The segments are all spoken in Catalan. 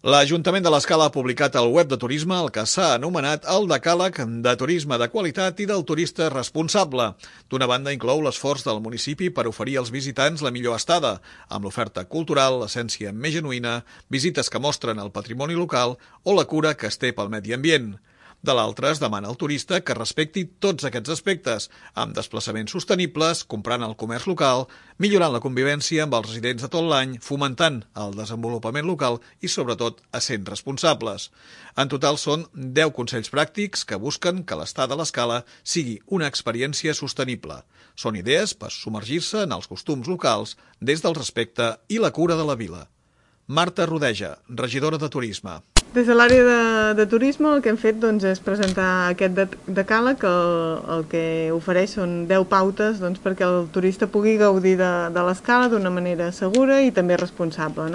L'Ajuntament de l'Escala ha publicat al web de turisme el que s'ha anomenat el decàleg de turisme de qualitat i del turista responsable. D'una banda, inclou l'esforç del municipi per oferir als visitants la millor estada, amb l'oferta cultural, l'essència més genuïna, visites que mostren el patrimoni local o la cura que es té pel medi ambient. De l'altra, es demana al turista que respecti tots aquests aspectes, amb desplaçaments sostenibles, comprant al comerç local, millorant la convivència amb els residents de tot l'any, fomentant el desenvolupament local i, sobretot, essent responsables. En total, són 10 consells pràctics que busquen que l'estada a l'Escala sigui una experiència sostenible. Són idees per submergir-se en els costums locals des del respecte i la cura de la vila. Marta Rodeja, regidora de Turisme. Des de l'àrea de turisme el que hem fet és presentar aquest decàleg. El que ofereix són 10 pautes perquè el turista pugui gaudir de l'Escala d'una manera segura i també responsable.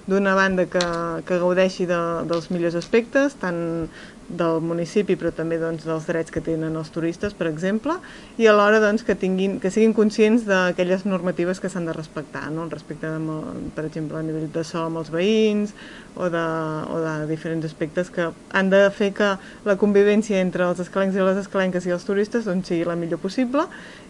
D'una banda que gaudeixi dels millors aspectes, tant del municipi però també dels drets que tenen els turistes, per exemple, i alhora que siguin conscients d'aquelles normatives que s'han de respectar, el respecte, per exemple, a nivell de so amb els veïns o de diferents aspectes que han de fer que la convivència entre els escalencs i les escalenques i els turistes sigui la millor possible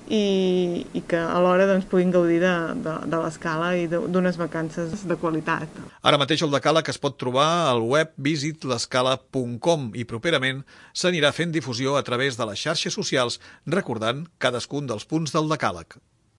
i que alhora puguin gaudir de l'Escala i d'unes vacances de qualitat. Ara mateix el decàleg es pot trobar al web visitlescala.com i properament s'anirà fent difusió a través de les xarxes socials recordant cadascun dels punts del decàleg.